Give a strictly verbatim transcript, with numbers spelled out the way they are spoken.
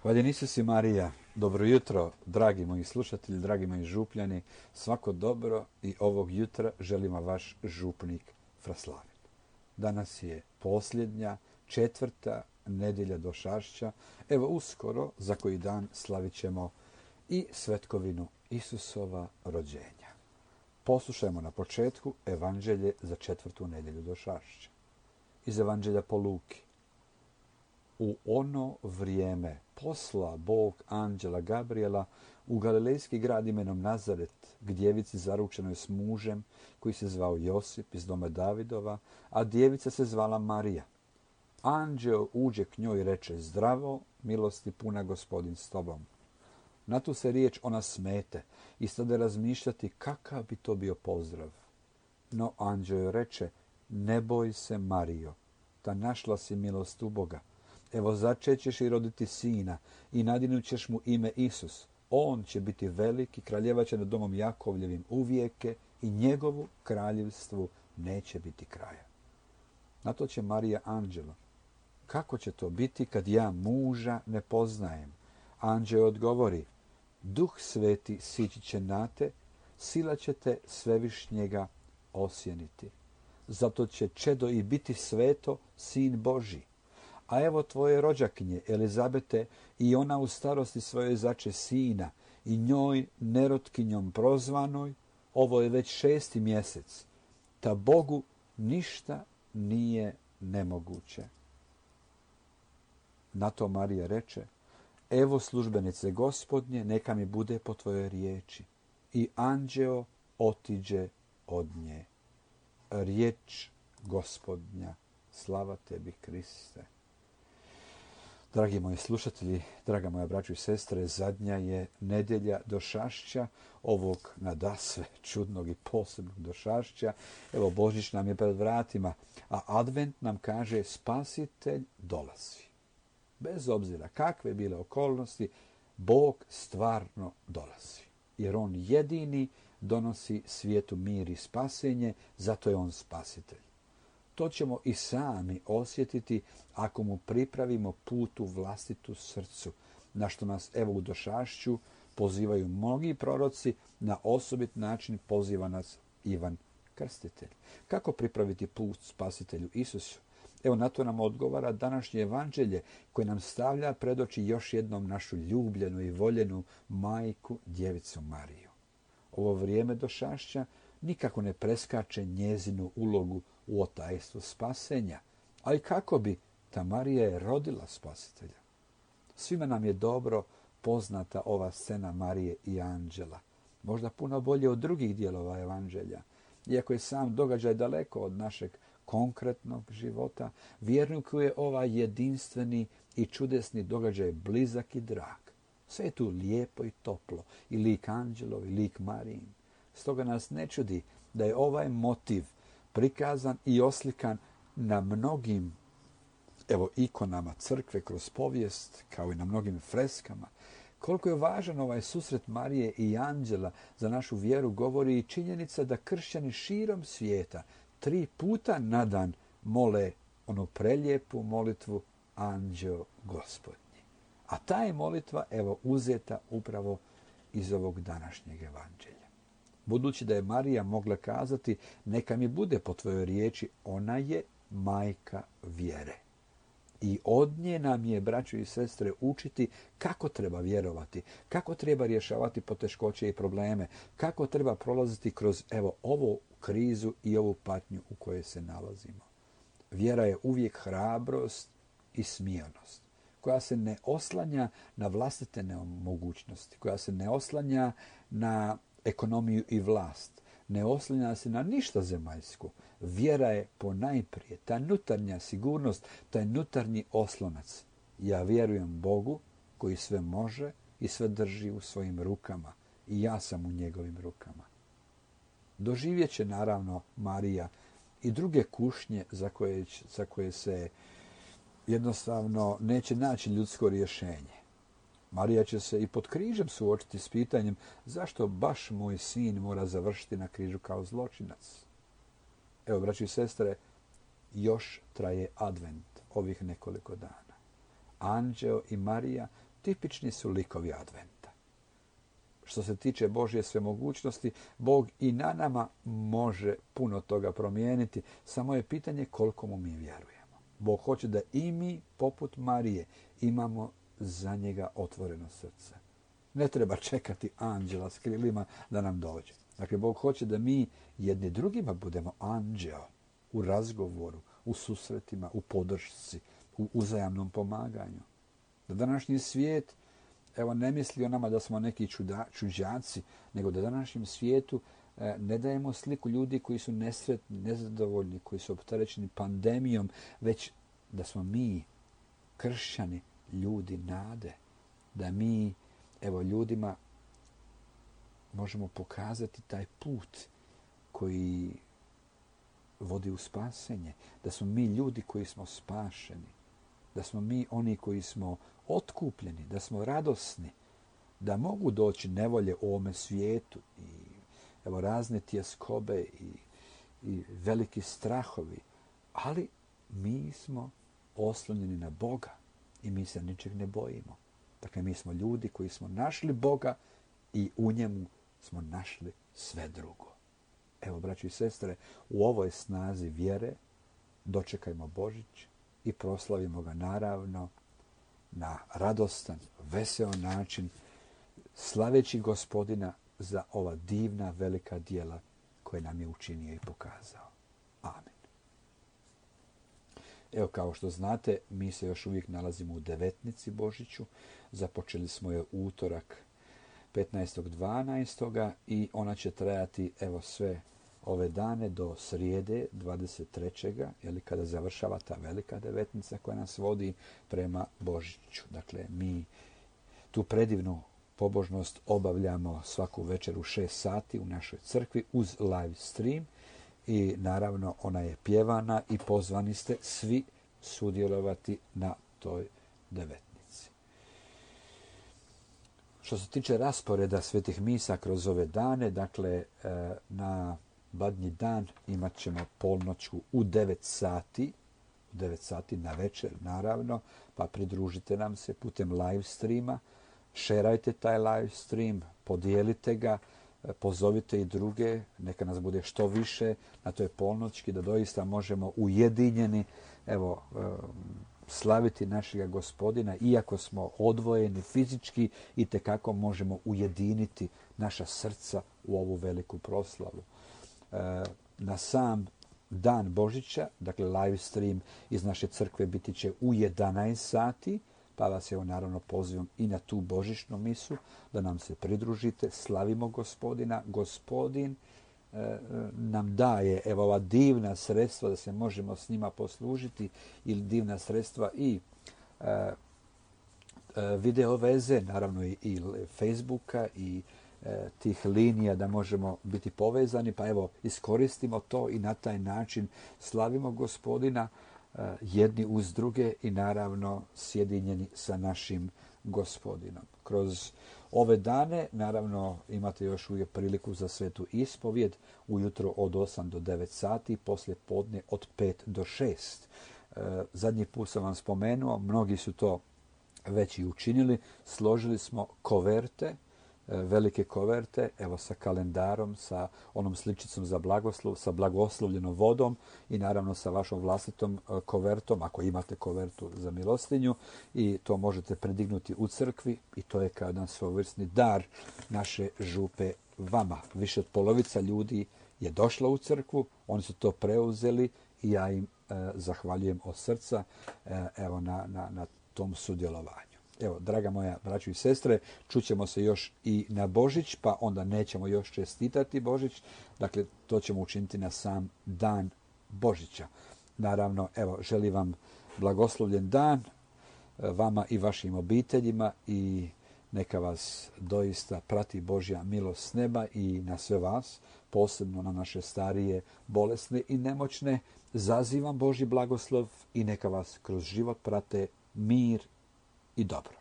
Hvaljen Isus i Marija, dobro jutro, dragi moji slušatelji, dragi moji župljani, svako dobro i ovog jutra želima vaš župnik Fraslavin. Danas je posljednja, četvrta nedjelja Došašća, evo uskoro za koji dan slavit ćemo i svetkovinu Isusova rođenja. Poslušajmo na početku Evanđelje za četvrtu nedjelju Došašća. Iz Evanđelja po Luki. U ono vrijeme posla Bog anđela Gabriela u galilejski grad imenom Nazaret, k djevici zaručenoj s mužem koji se zvao Josip iz doma Davidova, a djevica se zvala Marija. Anđeo uđe k njoj i reče: Zdravo, milosti puna, Gospodin s tobom. Na tu se riječ ona smete i stade razmišljati kakav bi to bio pozdrav. No anđeo joj reče: Ne boj se, Marijo, ta našla si milost u Boga. Evo začećeš i roditi sina i nadinut ćeš mu ime Isus. On će biti velik i kraljevat će nad domom Jakovljevim uvijeke i njegovu kraljevstvu neće biti kraja. Na to će Marija anđelo: Kako će to biti kad ja muža ne poznajem? Anđeo odgovori: Duh sveti sići će na te, sila će te svevišnjega osjeniti. Zato će čedo i biti sveto, sin Božji. A evo tvoje rođakinje Elizabete, i ona u starosti svojoj zače sina, i njoj nerotkinjom prozvanoj, ovo je već šesti mjesec, ta Bogu ništa nije nemoguće. Na to Marija reče: Evo službenice Gospodnje, neka mi bude po tvojoj riječi. I anđeo otiđe od nje. Riječ Gospodnja, slava tebi, Kriste. Dragi moji slušatelji, draga moja braćo i sestre, zadnja je nedjelja Došašća, ovog nadasve čudnog i posebnog Došašća. Evo, Božić nam je pred vratima, a Advent nam kaže: Spasitelj dolazi. Bez obzira kakve bile okolnosti, Bog stvarno dolazi. Jer On jedini donosi svijetu mir i spasenje, zato je On spasitelj. To ćemo i sami osjetiti ako mu pripravimo put u vlastitu srcu, na što nas evo u Došašću pozivaju mnogi proroci, na osobit način poziva nas Ivan Krstitelj. Kako pripraviti put spasitelju Isusu? Evo na to nam odgovara današnje evanđelje koje nam stavlja pred oči još jednom našu ljubljenu i voljenu majku, djevicu Mariju. Ovo vrijeme Došašća nikako ne preskače njezinu ulogu u otajstvu spasenja. Ali kako bi? Ta Marija je rodila spasitelja. Svima nam je dobro poznata ova scena Marije i anđela. Možda puno bolje od drugih dijelova evanđelja. Iako je sam događaj daleko od našeg konkretnog života, vjerniku je ovaj jedinstveni i čudesni događaj blizak i drag. Sve je tu lijepo i toplo, i lik anđelov i lik Marijin. Stoga nas ne čudi da je ovaj motiv prikazan i oslikan na mnogim evo ikonama crkve kroz povijest, kao i na mnogim freskama. Koliko je važan ovaj susret Marije i anđela za našu vjeru govori i činjenica da kršćani širom svijeta tri puta na dan mole onu prelijepu molitvu Anđeo Gospodnji. A ta je molitva evo uzeta upravo iz ovog današnjeg evanđelja. Budući da je Marija mogla kazati: Neka mi bude po tvojoj riječi, ona je majka vjere. I od nje nam je, braćo i sestre, učiti kako treba vjerovati, kako treba rješavati poteškoće i probleme, kako treba prolaziti kroz evo ovu krizu i ovu patnju u kojoj se nalazimo. Vjera je uvijek hrabrost i smirenost, koja se ne oslanja na vlastite nemogućnosti, koja se ne oslanja na ekonomiju i vlast, ne oslanja se na ništa zemaljsko. Vjera je ponajprije ta nutarnja sigurnost, taj nutarnji oslonac. Ja vjerujem Bogu koji sve može i sve drži u svojim rukama, i ja sam u njegovim rukama. Doživjet će naravno Marija i druge kušnje za koje, za koje se jednostavno neće naći ljudsko rješenje. Marija će se i pod križem suočiti s pitanjem: zašto baš moj sin mora završiti na križu kao zločinac? Evo, braći i sestre, još traje advent ovih nekoliko dana. Anđeo i Marija tipični su likovi adventa. Što se tiče Božje svemogućnosti, Bog i na nama može puno toga promijeniti, samo je pitanje koliko mu mi vjerujemo. Bog hoće da i mi, poput Marije, imamo za njega otvoreno srce. Ne treba čekati anđela s krilima da nam dođe. Dakle, Bog hoće da mi jedni drugima budemo anđeo u razgovoru, u susretima, u podršci, u uzajamnom pomaganju. Da današnji svijet, evo, ne misli o nama da smo neki čuda, čuđaci, nego da današnjem svijetu e, ne dajemo sliku ljudi koji su nesretni, nezadovoljni, koji su opterećeni pandemijom, već da smo mi, kršćani, ljudi nade. Da mi, evo, ljudima možemo pokazati taj put koji vodi u spasenje. Da smo mi ljudi koji smo spašeni. Da smo mi oni koji smo otkupljeni, da smo radosni, da mogu doći nevolje u ovome svijetu i evo razne tjeskobe i, i veliki strahovi, ali mi smo oslonjeni na Boga i mi se ničeg ne bojimo. Dakle, mi smo ljudi koji smo našli Boga i u njemu smo našli sve drugo. Evo, braći i sestre, u ovoj snazi vjere dočekajmo Božić i proslavimo ga naravno na radostan, veseo način, slaveći Gospodina za ova divna, velika djela koje nam je učinio i pokazao. Amen. Evo, kao što znate, mi se još uvijek nalazimo u devetnici Božiću. Započeli smo je utorak petnaestog dvanaestog i ona će trajati evo sve ove dane do srijede dvadeset trećeg Jeli, kada završava ta velika devetnica koja nas vodi prema Božiću. Dakle, mi tu predivnu pobožnost obavljamo svaku večer u šest sati u našoj crkvi uz live stream i naravno ona je pjevana i pozvani ste svi sudjelovati na toj devetnici. Što se tiče rasporeda svetih misa kroz ove dane, dakle na Badnji dan imat ćemo polnoću u devet sati, u devet sati na večer naravno, pa pridružite nam se putem live streama, šerajte taj live stream, podijelite ga, pozovite i druge, neka nas bude što više na toj polnoćki, da doista možemo ujedinjeni, evo, slaviti našega Gospodina, iako smo odvojeni fizički, i tekako možemo ujediniti naša srca u ovu veliku proslavu. Na sam dan Božića, dakle live stream iz naše crkve biti će u jedanaest sati, pa vas evo naravno pozivam i na tu božićnu misu da nam se pridružite, slavimo Gospodina. Gospodin e, nam daje evo ova divna sredstva da se možemo s njima poslužiti, ili divna sredstva i e, e, video veze, naravno i, i Facebooka i e, tih linija da možemo biti povezani, pa evo iskoristimo to i na taj način slavimo Gospodina jedni uz druge i naravno sjedinjeni sa našim Gospodinom. Kroz ove dane naravno imate još uvijek priliku za svetu ispovjed ujutro od osam do devet sati, poslije podne od pet do šest. Zadnji put sam vam spomenuo, mnogi su to već i učinili, složili smo koverte, velike koverte, evo sa kalendarom, sa onom sličicom za blagoslov, sa blagoslovljenom vodom i naravno sa vašom vlastitom kovertom, ako imate kovertu za milostinju, i to možete predignuti u crkvi i to je kao jedan svojevrsni dar naše župe vama. Više od polovica ljudi je došla u crkvu, oni su to preuzeli i ja im e, zahvaljujem od srca e, evo na, na, na tom sudjelovanju. Evo, draga moja braćo i sestre, čućemo se još i na Božić, pa onda nećemo još čestitati Božić. Dakle, to ćemo učiniti na sam dan Božića. Naravno, evo, želim vam blagoslovljen dan, vama i vašim obiteljima, i neka vas doista prati Božja milost s neba i na sve vas, posebno na naše starije, bolesne i nemoćne. Zazivam Božji blagoslov i neka vas kroz život prate mir i dobro.